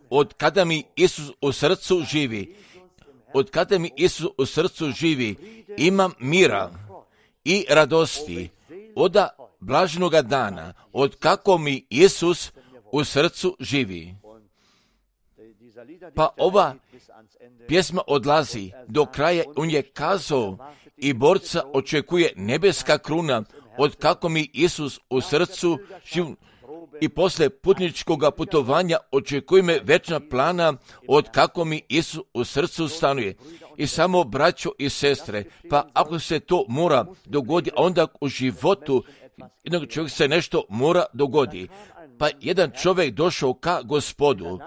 Od kada mi Isus u srcu živi, imam mira i radosti od blaženoga dana, od kako mi Isus u srcu živi. Pa ova pjesma odlazi do kraja, on je kazao, i borca očekuje nebeska kruna, od kako mi Isus u srcu živi. I posle putničkog putovanja očekuje me večna plana, od kako mi Isus u srcu stanuje. I samo, braćo i sestre, pa ako se to mora dogodi, onda u životu jednog čovjeka se nešto mora dogodi. Pa jedan čovjek došao ka Gospodu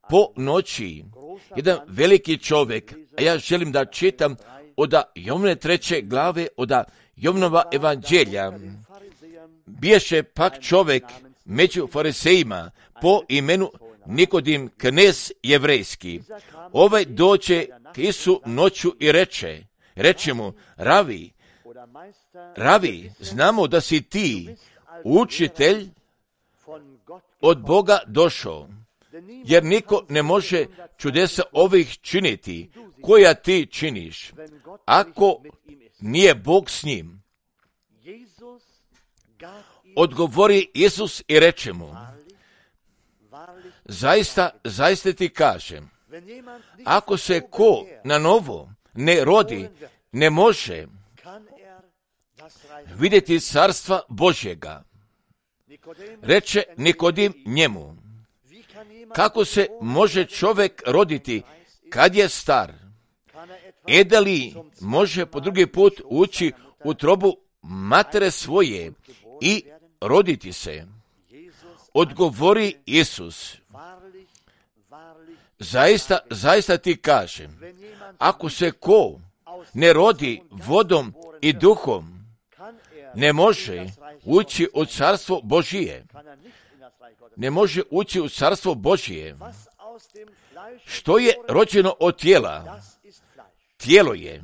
po noći, jedan veliki čovjek, a ja želim da čitam od Jovne 3. glave, od Jovnova evanđelja. Biješe pak čovjek među farisejima po imenu Nikodim, knez jevrejski. Ovaj dođe k Isu noću i reče mu, Ravi, znamo da si ti učitelj od Boga došao, jer niko ne može čudesa ovih činiti, koja ti činiš, ako nije Bog s njim. Odgovori Isus i reče mu, zaista ti kažem, ako se ko na novo ne rodi, ne može vidjeti carstva Božjega. Reče Nikodim njemu, kako se može čovjek roditi kad je star? Da li može po drugi put ući u utrobu matere svoje i roditi se? Odgovori Isus, zaista ti kažem, ako se ko ne rodi vodom i duhom, ne može ući u carstvo Božije. Ne može ući u carstvo Božije. Što je rođeno od tijela? Tijelo je.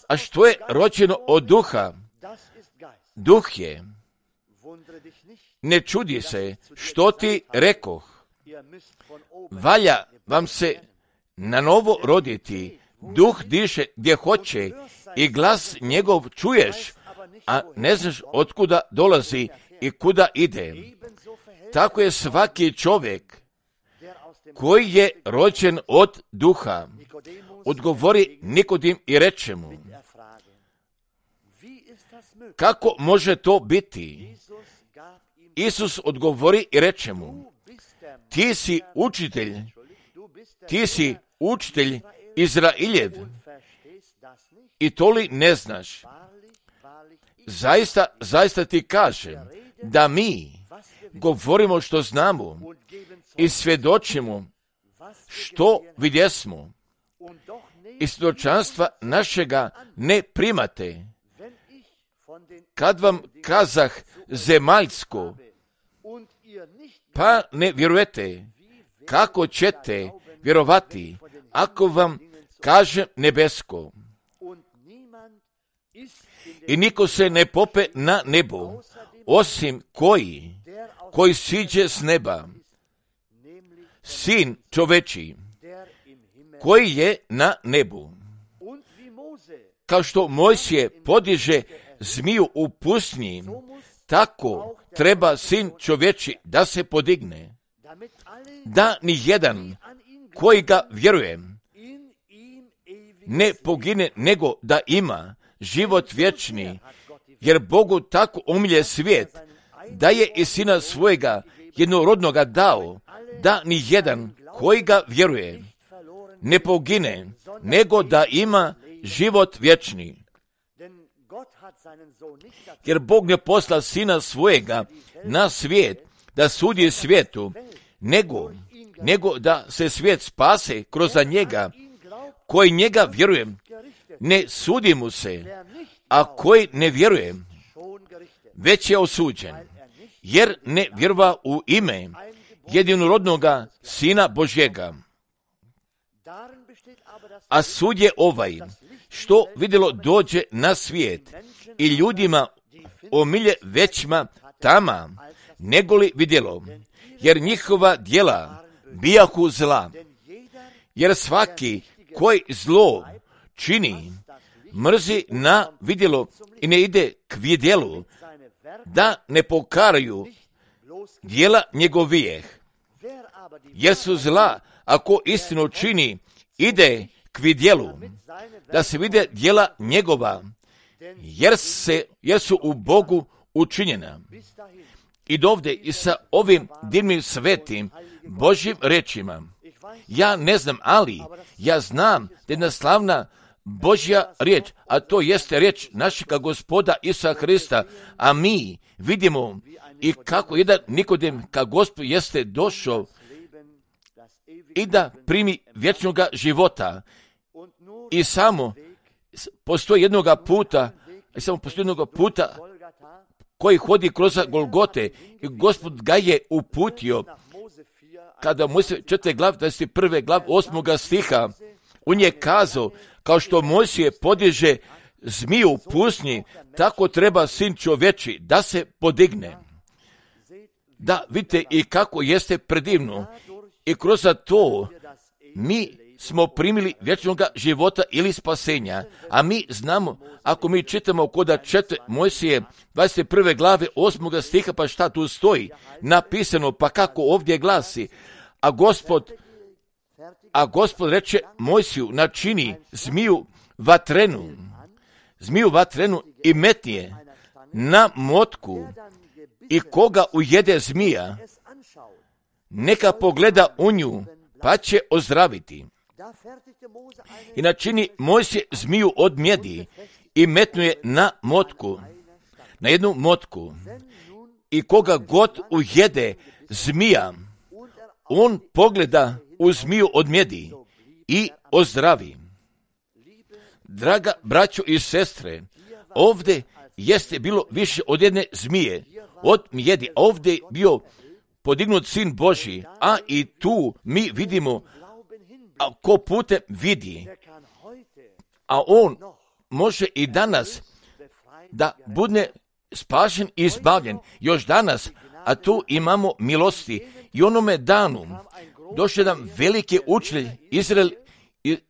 A što je rođeno od duha? Duh je. Ne čudi se što ti rekoh. Valja vam se na novo roditi. Duh diše gdje hoće i glas njegov čuješ, a ne znaš otkuda dolazi i kuda ide. Tako je svaki čovjek koji je rođen od duha. Odgovori Nikodim i reče mu, kako može to biti? Isus odgovori i reče mu, ti si učitelj Izrailjev i to li ne znaš? Zaista ti kažem da mi govorimo što znamo i svjedočimo što vidjesmo. I svjedočanstva našega ne primate. Kad vam kazah zemaljsko, pa ne vjerujete, kako ćete vjerovati ako vam kaže nebesko? I niko se ne pope na nebo, osim koji siđe s neba, sin čoveči, koji je na nebu. Kao što Mojsije podiže zmiju u pustinji, tako treba sin čovječi da se podigne, da ni jedan koji ga vjeruje ne pogine, nego da ima život vječni, jer Bogu tako umilje svijet, da je i sina svojega jednorodnoga dao, da ni jedan koji ga vjeruje ne pogine, nego da ima život vječni. Jer Bog ne posla sina svojega na svijet da sudi svijetu, nego da se svijet spase kroz njega. Koji njega vjeruje, ne sudi mu se, a koji ne vjeruje, već je osuđen, jer ne vjerova u ime jedinorodnoga Sina Božjega. A sud je ovaj, što vidjelo dođe na svijet i ljudima omilje većma tama, negoli vidjelo, jer njihova djela bijahu zla. Jer svaki koji zlo čini, mrzi na vidjelo i ne ide k vidjelu, da ne pokaraju djela njegovijeh. Jer su zla, ako istinu čini, ide k vidjelu, da se vide djela njegova, jer su u Bogu učinjena. I dovde i sa ovim divnim svetim Božjim rečima. Ja ne znam, ali ja znam da je jedna slavna Božja riječ, a to jeste riječ našega Gospoda Isusa Hrista, a mi vidimo i kako jedan Nikodem ka Gospodu jeste došao i da primi vječnoga života. I samo postoji jednoga puta koji hodi kroz Golgote i Gospod ga je uputio kada Mojsije 4. glav 21. glav 8. stiha, on je kazao, kao što Mojsije podiže zmiju u pustinji, tako treba Sin čovječi da se podigne. Da vidite i kako jeste predivno. I kroz to mi smo primili vječnoga života ili spasenja. A mi znamo, ako mi čitamo kod 4. Mojsije 21. glave 8. stiha, pa šta tu stoji napisano, pa kako ovdje glasi, a Gospod reče Mojsiju, načini zmiju vatrenu i metni je na motku, i koga ujede zmija, neka pogleda u nju, pa će ozdraviti. I načini Mojsije zmiju od mjedi i metnuje na motku, na jednu motku, i koga god ujede zmija, on pogleda u zmiju od mjedi i ozdravi. Draga braćo i sestre, ovdje jeste bilo više od jedne zmije, od mjedi, a ovdje je bio podignut Sin Božji, a i tu mi vidimo, a ko putem vidi, a on može i danas da bude spašen i izbavljen, još danas, a tu imamo milosti. I onome danu došao jedan veliki učitelj,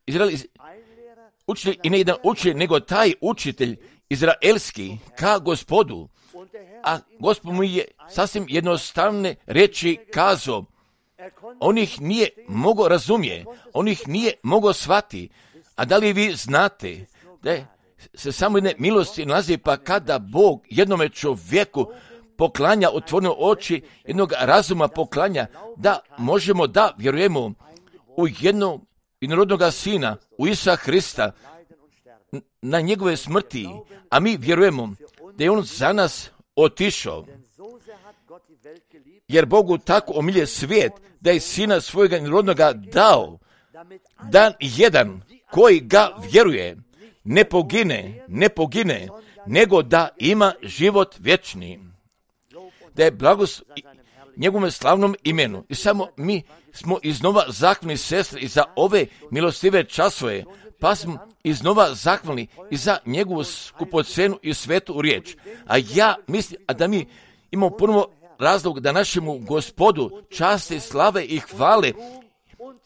Izrael učitelj, i ne jedan učitelj, nego taj učitelj izraelski ka Gospodu, a Gospod mu je sasvim jednostavne reči kazao. On ih nije mogao razumije, on ih nije mogao shvati. A da li vi znate da se samo jedne milosti nalazi, pa kada Bog jednome čovjeku poklanja otvorene oči, jednog razuma poklanja, da možemo da vjerujemo u jednog jednorodnoga Sina, u Isusa Hrista, na njegove smrti, a mi vjerujemo da je on za nas otišao. Jer Bogu tako omilje svijet, da je Sina svojega jednorodnoga dao, da jedan koji ga vjeruje ne pogine, nego da ima život vječni. Da je blagost njegovom slavnom imenu. I samo mi smo iznova zahvalni, sestre, i za ove milostive časove, pa smo iznova zahvalni i za njegovu skupocenu i svetu riječ. A ja mislim da mi imamo ponovo razlog da našemu Gospodu časti, slave i hvale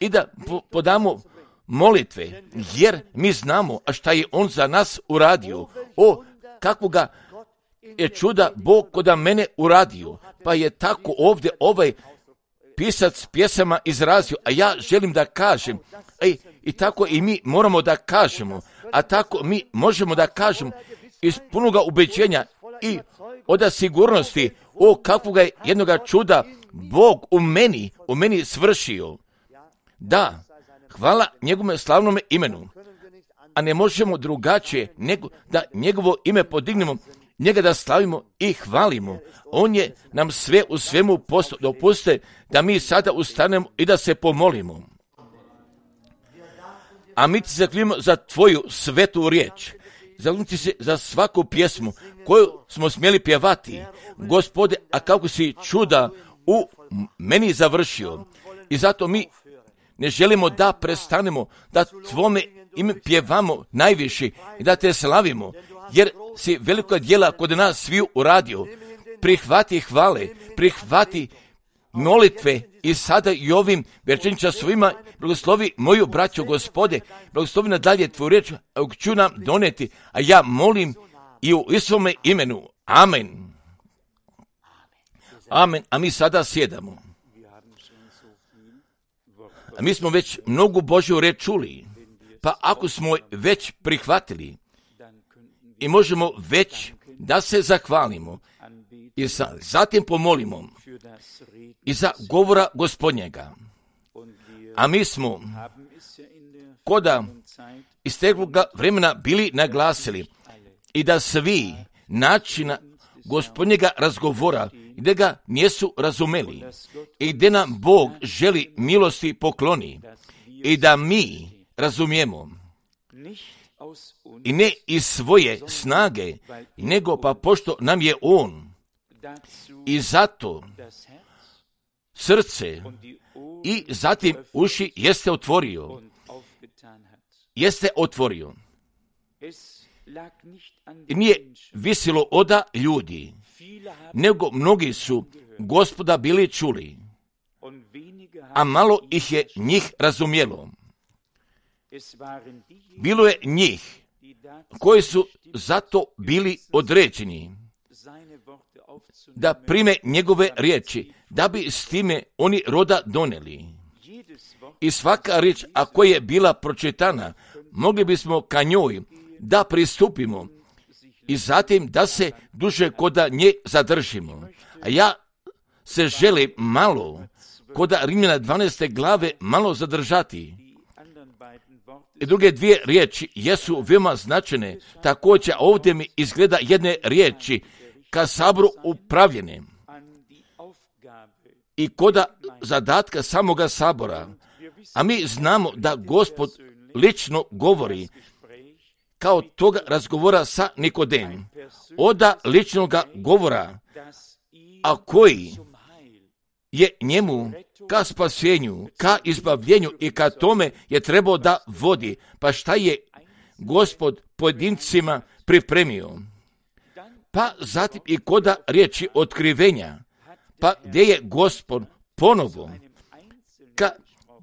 i da podamo molitve, jer mi znamo a šta je on za nas uradio. O, kakvoga je čuda Bog koda mene uradio. Pa je tako ovdje ovaj pisac pjesama izrazio, a ja želim da kažem, i tako i mi moramo da kažemo, a tako mi možemo da kažemo iz punoga ubeđenja i od sigurnosti, o kakvoga je jednoga čuda Bog u meni svršio. Da, hvala njegovom slavnom imenu, a ne možemo drugačije nego da njegovo ime podignemo, njega da slavimo i hvalimo. On je nam sve u svemu postao. Dopustite da mi sada ustanemo i da se pomolimo. A mi ti zaklinimo za tvoju svetu riječ. Zaklinimo ti se za svaku pjesmu koju smo smjeli pjevati. Gospode, a kako si čuda u meni završio. I zato mi ne želimo da prestanemo, da tvome ime pjevamo najviše i da te slavimo, jer si veliko djela kod nas sviju uradio. Prihvati hvale, prihvati molitve i sada i ovim večernjim časovima blagoslovi moju braću Gospode, blagoslovi nadalje tvoju riječ, ću nam doneti, a ja molim i u Isuvome imenu. Amen. Amen. A mi sada sjedamo. A mi smo već mnogu Božju riječ čuli, pa ako smo već prihvatili i možemo već da se zahvalimo i zatim pomolimo i za govora Gospodnjega. A mi smo koda istekloga vremena bili naglasili i da svi načina Gospodnjega razgovora gdje ga nisu razumeli i gdje nam Bog želi milosti pokloni i da mi razumijemo i ne iz svoje snage, nego pa pošto nam je On i zato srce i zatim uši jeste otvorio. Nije visilo od ljudi, nego mnogi su Gospoda bili čuli, a malo ih je njih razumjelo. Bilo je njih koji su zato bili određeni da prime njegove riječi, da bi s time oni roda doneli. I svaka riječ, ako je bila pročitana, mogli bismo ka njoj da pristupimo i zatim da se duže koda nje zadržimo. A ja se želim malo koda Rimljana 12. glave malo zadržati. I druge dvije riječi jesu veoma značajne. Također ovdje mi izgleda jedne riječi ka saboru upravljene i koda zadatka samoga sabora. A mi znamo da Gospod lično govori kao toga razgovora sa Nikodem. Oda ličnoga govora, a koji je njemu ka spasenju, ka izbavljenju i ka tome je trebao da vodi. Pa šta je Gospod pojedincima pripremio? Pa zatim i koda riječi otkrivenja, pa gdje je Gospod ponovo ka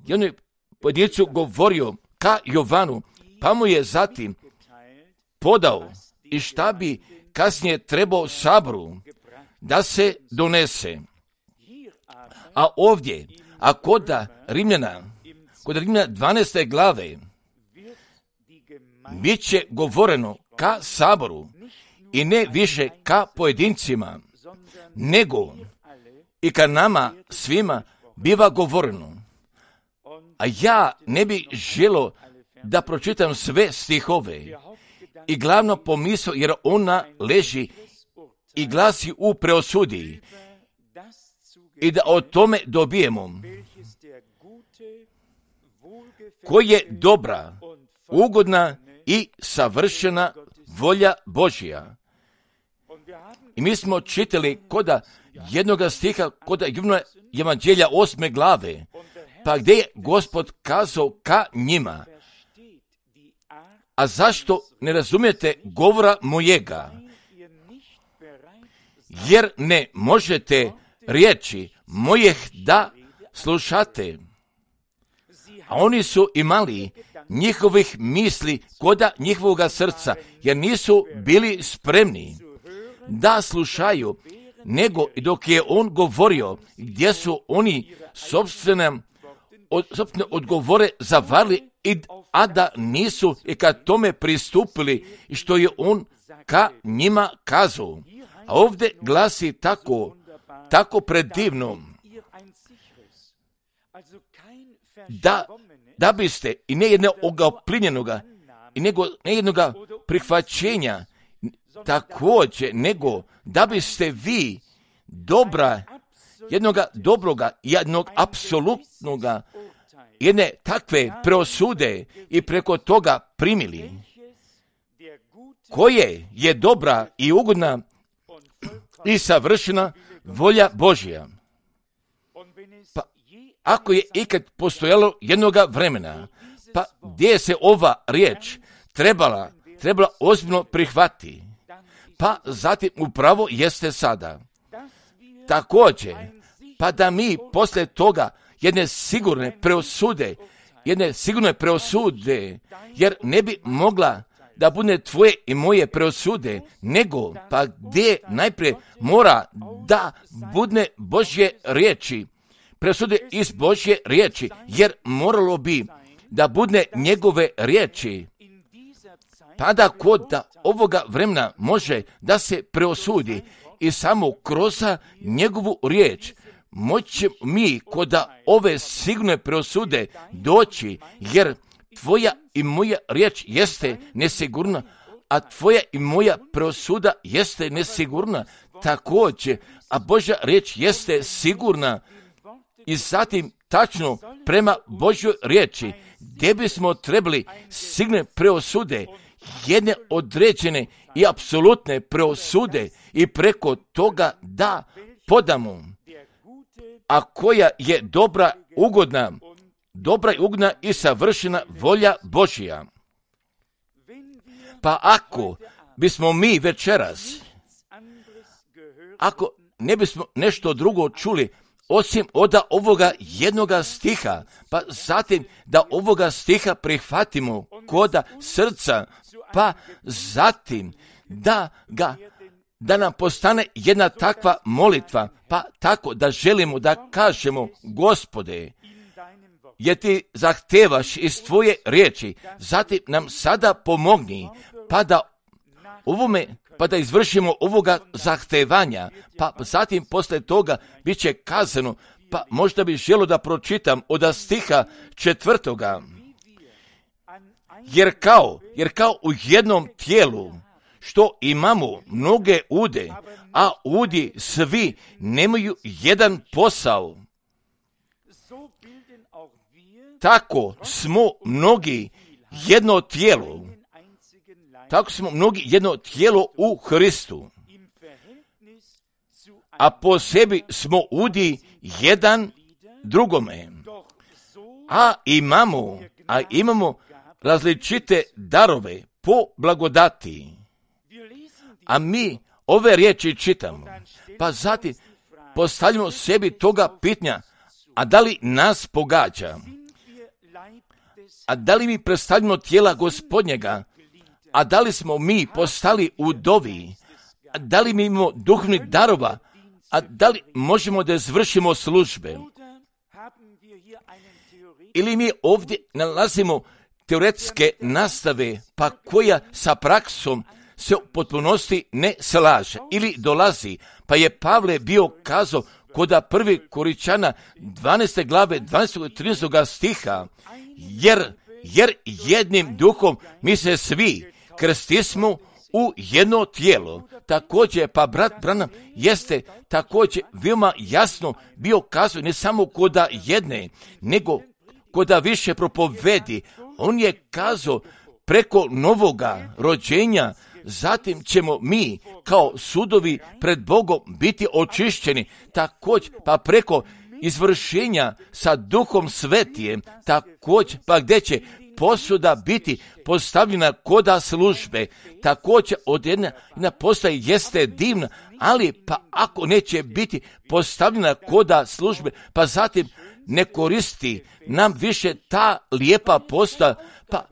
jednoj pojedincu govorio, ka Jovanu, pa mu je zatim podao i šta bi kasnije trebao saboru da se donese. A ovdje, a kod Rimljana 12. glave, bit će govoreno ka saboru i ne više ka pojedincima, nego i ka nama svima biva govoreno. A ja ne bi želio da pročitam sve stihove i glavno pomisao, jer ona leži i glasi u preosudi i da o tome dobijemo koji je dobra, ugodna i savršena volja Božja. I mi smo čitali koda jednoga stiha, koda Evanđelja 8. glave, pa gdje je Gospod kazao ka njima, a zašto ne razumijete govora mojega? Jer ne možete riječi mojih da slušate. A oni su imali njihovih misli koda njihovoga srca, jer nisu bili spremni da slušaju, nego i dok je on govorio, gdje su oni sobstvene odgovore zavarili, a da nisu i kad tome pristupili i što je on ka njima kazao. A ovdje glasi tako predivno, da biste i ne jednoga oplinjenoga, i ne jednoga prihvaćenja također, nego da biste vi jednoga dobroga, jednog apsolutnoga, jedne takve preosude i preko toga primili, koje je dobra i ugodna i savršena volja Božja. Pa ako je ikad postojalo jednoga vremena, pa gdje se ova riječ trebala ozbiljno prihvati, pa zatim upravo jeste sada. Također, pa da mi posle toga jedne sigurne preosude, jer ne bi mogla da bude tvoje i moje preosude, nego pa gdje najprije mora da bude Božje riječi, presude iz Božje riječi, jer moralo bi da bude njegove riječi, pa da kod ovoga vremena može da se preosudi i samo kroz njegovu riječ moći mi kod ove sigurne preosude doći, jer tvoja i moja riječ jeste nesigurna, a tvoja i moja preosuda jeste nesigurna također, a Božja riječ jeste sigurna. I zatim tačno prema Božjoj riječi, gdje bismo trebali sigurne preosude, jedne određene i apsolutne preosude i preko toga da podamo, a koja je dobra i ugodna i savršena volja Božja. Pa ako bismo mi večeras, ako ne bismo nešto drugo čuli, osim od ovoga jednoga stiha, pa zatim da ovoga stiha prihvatimo kod srca, pa zatim da nam postane jedna takva molitva, pa tako da želimo da kažemo, Gospode, jer ti zahtevaš iz tvoje riječi, zatim nam sada pomogni, pa da izvršimo ovoga zahtevanja, pa zatim posle toga bit će kazano, pa možda bi želio da pročitam od stiha 4. Jer kao u jednom tijelu, što imamo mnoge ude, a udi svi nemaju jedan posao, tako smo mnogi jedno tijelo. Tako smo mnogi jedno tijelo u Hristu, a po sebi smo udi jedan drugome, a imamo različite darove po blagodati. A mi ove riječi čitamo, pa zatim postavljamo sebi toga pitanja, a da li nas pogađa? A da li mi predstavljamo tijela Gospodnjega? A da li smo mi postali udovi? A da li mi imamo duhovnih darova? A da li možemo da izvršimo službe? Ili mi ovdje nalazimo teoretske nastave, pa koja sa praksom se u potpunosti ne slaže ili dolazi. Pa je Pavle bio kazao kod 1. Korinčana 12. glave 12. i 13. stiha, jer jednim duhom mi se svi krstismo u jedno tijelo. Također, pa brat Branham jeste također veoma jasno bio kazao ne samo kod jedne, nego kod više propovedi. On je kazao preko novoga rođenja, zatim ćemo mi kao sudovi pred Bogom biti očišćeni. Također, pa preko izvršenja sa Duhom Svetijem, također, pa gdje će posuda biti postavljena koda službe, također od jedna postaje jeste divna, ali pa ako neće biti postavljena koda službe, pa zatim ne koristi nam više ta lijepa posta, pa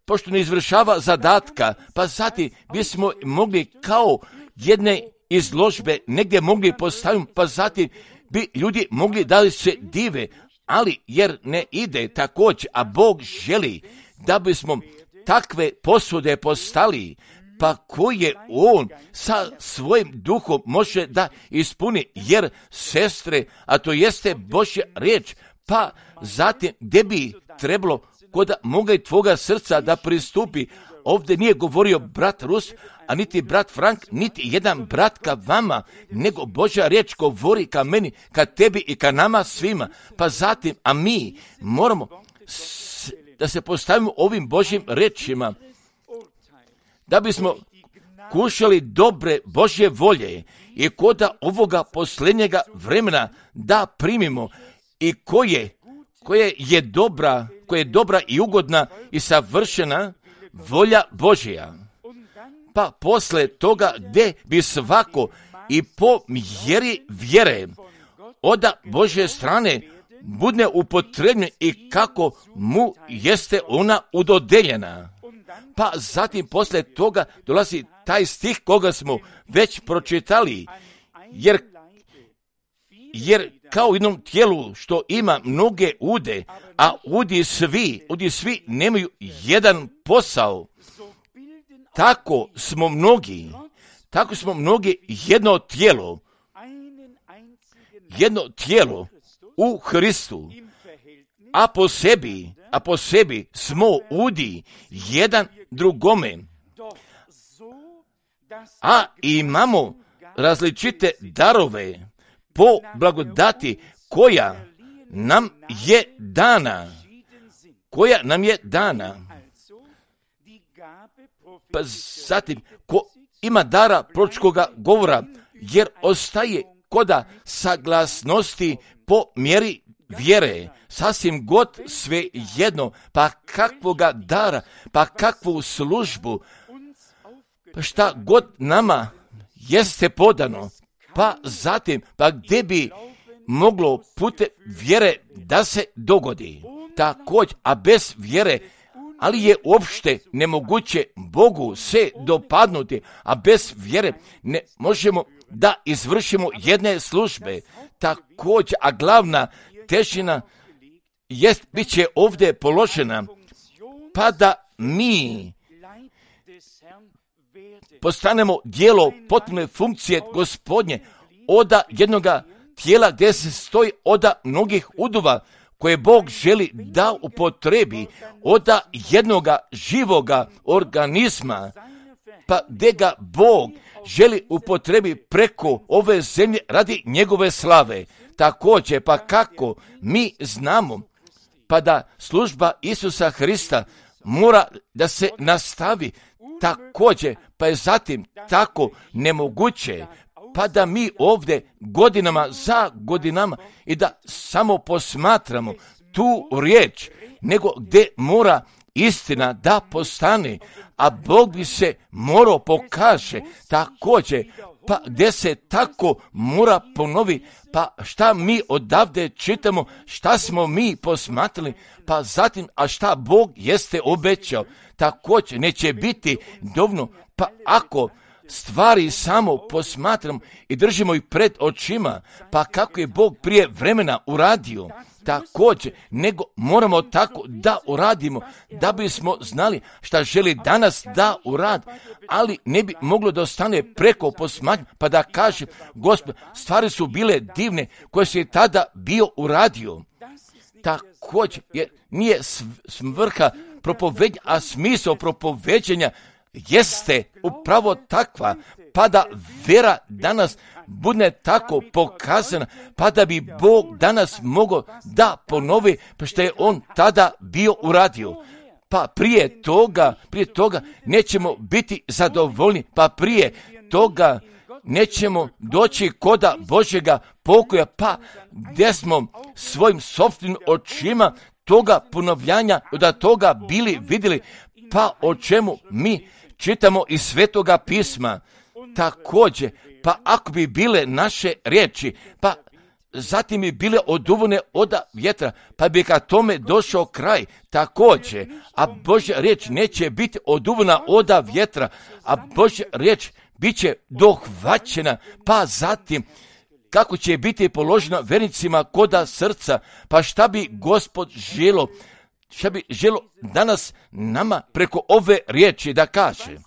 pošto ne izvršava zadatka, pa zatim bismo mogli kao jedne izložbe negdje mogli postaviti, pa zatim bi ljudi mogli da li se dive, ali jer ne ide također, a Bog želi da bismo takve posude postali, pa koje On sa svojim duhom može da ispuni, jer sestre, a to jeste Božja riječ, pa zatim gdje bi trebalo kod moga i tvoga srca da pristupi. Ovdje nije govorio brat Rus, a niti brat Frank, niti jedan brat ka vama, nego Božja riječ govori ka meni, ka tebi i ka nama svima. Pa zatim, a mi moramo da se postavimo ovim Božjim rečima, da bismo kušali dobre Božje volje i kod ovoga posljednjega vremena da primimo i koje je dobra i ugodna i savršena volja Božja. Pa posle toga gdje bi svako i po mjeri vjere od Božje strane bude upotrebljena i kako mu jeste ona udodeljena. Pa zatim posle toga dolazi taj stih koga smo već pročitali, jer kao u jednom tijelu što ima mnoge ude, a udi svi nemaju jedan posao, tako smo mnogi jedno tijelo u Hristu, a po sebi smo udi jedan drugome, a imamo različite darove po blagodati koja nam je dana. Pa zatim, ko ima dara proročkoga govora, jer ostaje koda saglasnosti po mjeri vjere, sasvim god sve jedno, pa kakvoga dara, pa kakvu službu, pa šta god nama jeste podano, pa zatim, pa gdje bi moglo putem vjere da se dogodi. Također, a bez vjere, ali je uopšte nemoguće Bogu se dopadnuti, a bez vjere ne možemo da izvršimo jedne službe. Također, a glavna težina bit će ovdje položena, pa da mi postanemo dijelo potpune funkcije Gospodnje od jednoga tijela gdje se stoji od mnogih udova koje Bog želi da upotrebi od jednoga živoga organizma, pa gdje ga Bog želi upotrebi preko ove zemlje radi njegove slave. Također, pa kako mi znamo, pa da služba Isusa Hrista mora da se nastavi, također, pa je zatim tako nemoguće, pa da mi ovdje godinama za godinama i da samo posmatramo tu riječ, nego gdje mora istina da postane, a Bog bi se morao pokaže također, pa gdje se tako mora ponovi, pa šta mi odavde čitamo, šta smo mi posmatrali, pa zatim, a šta Bog jeste obećao, također neće biti dovoljno, pa ako stvari samo posmatramo i držimo ih pred očima, pa kako je Bog prije vremena uradio, također, nego moramo tako da uradimo, da bismo znali šta želi danas da uradi, ali ne bi moglo da ostane preko posmatranja, pa da kaže, Gospod, stvari su bile divne koje se tada bio uradio. Također, jer nije svrha propoveđenja, a smisao propoveđenja jeste upravo takva, pa da vera danas bude tako pokazana, pa da bi Bog danas mogao da ponovi pa što je on tada bio uradio. Pa prije toga nećemo biti zadovoljni, pa prije toga nećemo doći koda Božjega pokoja, pa gdje smo svojim sopstvenim očima toga ponovljanja, od toga bili vidjeli, pa o čemu mi čitamo iz Svetoga pisma. Također, pa ako bi bile naše riječi, pa zatim bi bile oduvane od vjetra, pa bi ka tome došao kraj. Također, a Božja riječ neće biti oduvana od vjetra, a Božja riječ bit će dohvaćena, pa zatim kako će biti položena vernicima koda srca, pa šta bi Gospod želo danas nama preko ove riječi da kaže.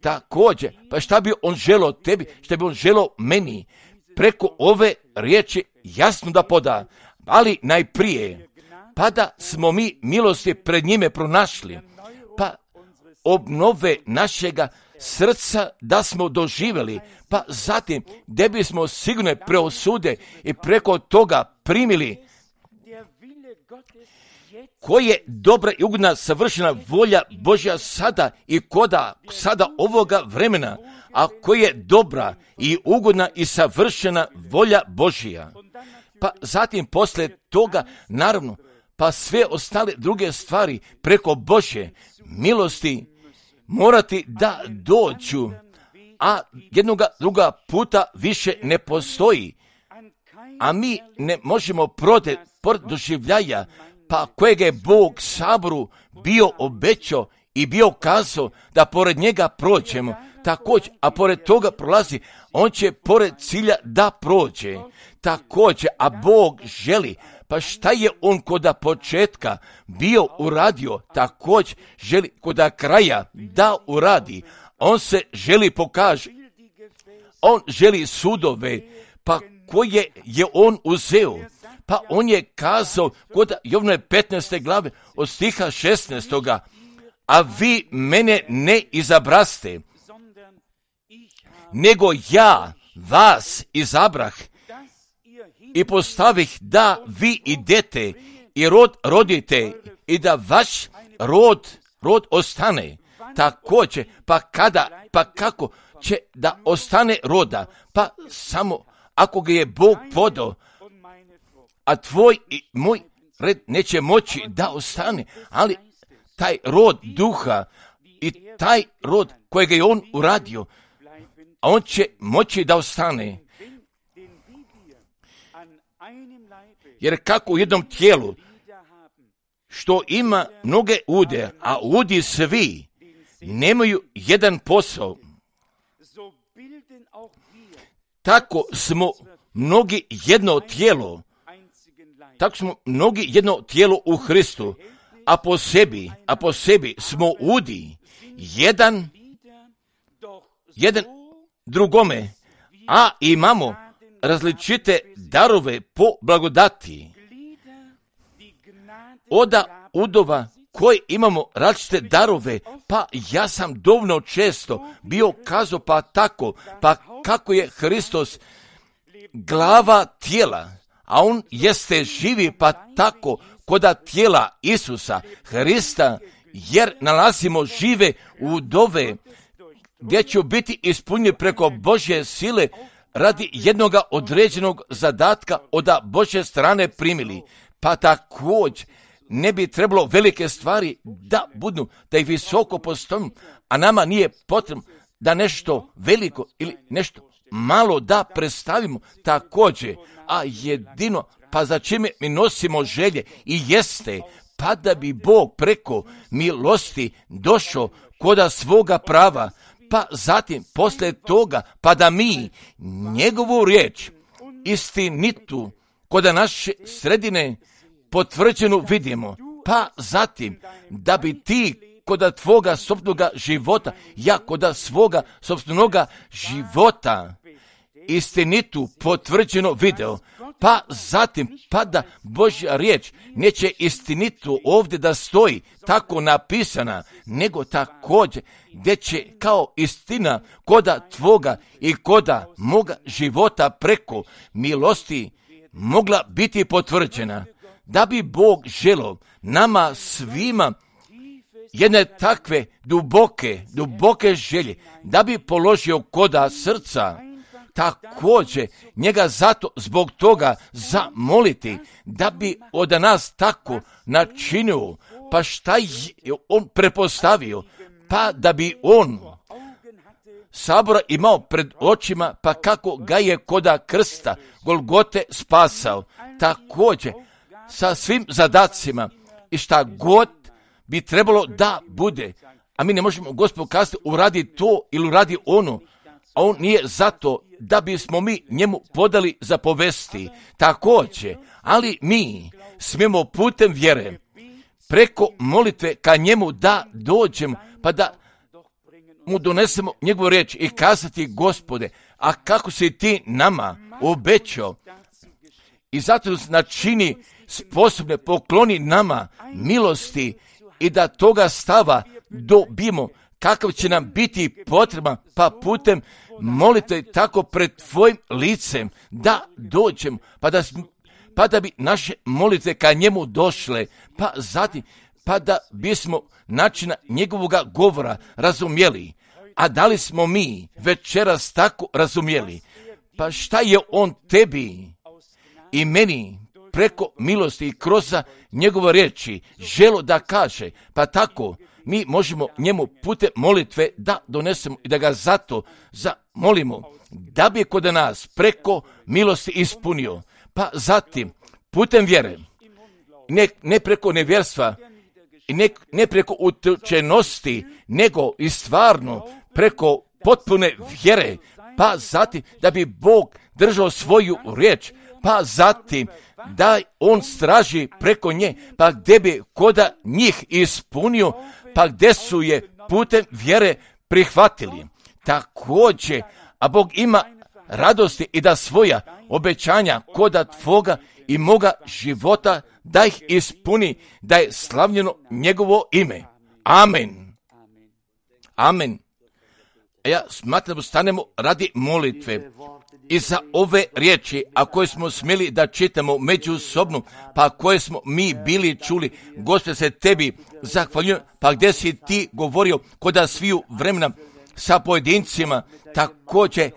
Također, pa šta bi on želo tebi, šta bi on želo meni, preko ove riječi jasno da poda, ali najprije, pa da smo mi milosti pred njime pronašli, pa obnove našega srca da smo doživjeli, pa zatim gdje bismo sigurno preosude i preko toga primili koji je dobra i ugodna savršena volja Božja sada i koda sada ovoga vremena, a koji je dobra i ugodna i savršena volja Božja. Pa zatim posle toga, naravno, pa sve ostale druge stvari preko Božje milosti morati da dođu, a jednoga druga puta više ne postoji. a mi ne možemo pored doživljaja, pa kojeg je Bog Saboru bio obećao i bio kazao da pored njega prođemo, također, a pored toga prolazi, on će pored cilja da prođe, također, a Bog želi, pa šta je on koda početka bio uradio, također želi koda kraja da uradi, on se želi pokaže, on želi sudove, pa koje je on uzeo, pa on je kazao kod Jovnove 15. glave od stiha 16. A vi mene ne izabraste, nego ja vas izabrah i postavih da vi idete i rod rodite i da vaš rod ostane. Također, pa kada, pa kako će da ostane roda, pa samo ako ga je Bog podao, a tvoj i moj red neće moći da ostane, ali taj rod duha i taj rod kojega je on uradio, a on će moći da ostane. Jer kako u jednom tijelu, što ima mnoge ude, a udi svi nemaju jedan posao, tako smo mnogi jedno tijelo, tako smo mnogi jedno tijelo u Hristu, a po sebi smo udi, jedan drugome, a imamo različite darove po blagodati. Oda udova koji imamo različite darove, pa ja sam dovoljno često bio kazao pa tako, pa kako je Hristos glava tijela, a on jeste živi pa tako koda tijela Isusa Hrista, jer nalazimo žive udove gdje će biti ispunjeni preko Božje sile radi jednoga određenog zadatka od Božje strane primili. Pa također ne bi trebalo velike stvari da budu, da ih visoko postavimo, a nama nije potrebno da nešto veliko ili nešto malo da predstavimo također, a jedino pa za čime mi nosimo želje i jeste, pa da bi Bog preko milosti došao koda svoga prava, pa zatim poslije toga, pa da mi njegovu riječ istinitu koda naše sredine potvrđenu vidimo, pa zatim da bi ti koda tvoga sopnoga života, ja koda svoga sopnoga života istinitu potvrđeno video, pa zatim pa da Božja riječ neće istinitu ovdje da stoji tako napisana, nego također gdje će kao istina koda tvoga i koda moga života preko milosti mogla biti potvrđena. Da bi Bog želio nama svima jedne takve duboke želje, da bi položio koda srca, također njega zato zbog toga zamoliti, da bi od nas tako načinio, pa šta je on prepostavio, pa da bi on Sabora imao pred očima, pa kako ga je koda krsta Golgote spasao, također sa svim zadacima i šta god bi trebalo da bude. A mi ne možemo Gospodu kazati uradi to ili uradi ono, a on nije zato da bismo mi njemu podali za povesti. Također, ali mi smijemo putem vjere preko molitve ka njemu da dođemo, pa da mu donesemo njegovu riječ i kazati Gospode, a kako si ti nama obećao i zato nas načini sposobne, pokloni nama milosti i da toga stava dobijemo kakav će nam biti potreban, pa putem molite tako pred tvojim licem da dođemo, pa da bi naše molitve ka njemu došle, pa zatim pa da bismo načina njegovoga govora razumjeli. A da li smo mi večeras tako razumjeli? Pa šta je on tebi i meni preko milosti i kroz njegove riječi želo da kaže, pa tako mi možemo njemu putem molitve da donesemo i da ga zato zamolimo, da bi kod nas preko milosti ispunio, pa zatim putem vjere, ne preko nevjerstva i ne preko utučenosti, nego i stvarno preko potpune vjere, pa zatim da bi Bog držao svoju riječ, pa zatim da on straži preko nje, pa gdje bi koda njih ispunio, pa gdje su je putem vjere prihvatili. Također, a Bog ima radosti i da svoja obećanja koda tvoga i moga života da ih ispuni, da je slavljeno njegovo ime. Amen. Amen. Ja smatram da stanemo radi molitve i za ove riječi, a koje smo smjeli da čitamo međusobno, pa koje smo mi bili čuli. Gospode, se tebi zahvaljujem, pa gdje si ti govorio koda sviju vremena sa pojedincima, također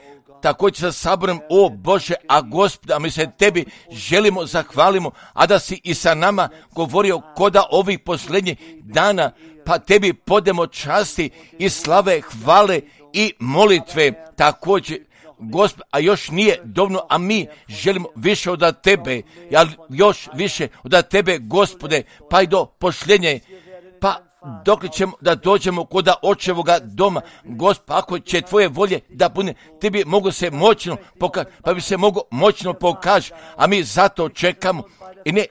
sa saborom, o Bože, a Gospode, a mi se tebi želimo, zahvalimo, a da si i sa nama govorio koda ovih posljednjih dana, pa tebi podemo časti i slave, hvale i molitve. Također, Gospod, a još nije dovoljno, a mi želimo više od tebe, još više od tebe, Gospode, pa i do pošljenje, pa dok ćemo da dođemo kod očevoga doma, Gospod, ako će tvoje volje da bude, ti bi mogo se moćno pokazati, pa bi se mogo moćno pokaži, a mi zato čekamo i ne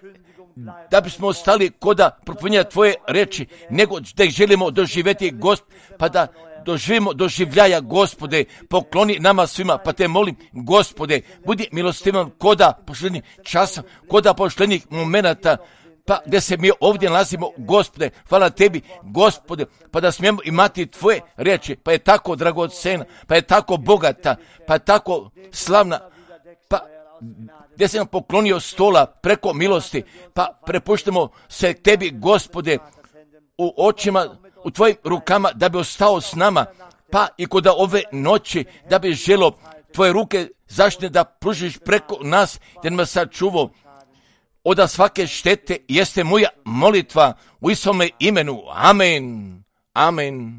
da bismo ostali koda propunjenja tvoje reči, nego da ih želimo doživjeti, Gospod, pa da doživimo doživljaja, Gospode, pokloni nama svima, pa te molim, Gospode, budi milostivan koda pošljenih časa, koda pošljenih momenata, pa gdje se mi ovdje nalazimo, Gospode, hvala tebi, Gospode, pa da smijemo imati tvoje riječi, pa je tako dragocena, pa je tako bogata, pa je tako slavna, pa gdje se nam poklonio stola preko milosti, pa prepuštamo se tebi, Gospode, u očima, u tvojim rukama, da bi ostao s nama, pa i kod ove noći, da bi želo tvoje ruke zaštite da pružiš preko nas, da nas sačuvao od svake štete, jeste moja molitva u Isome imenu. Amen. Amen.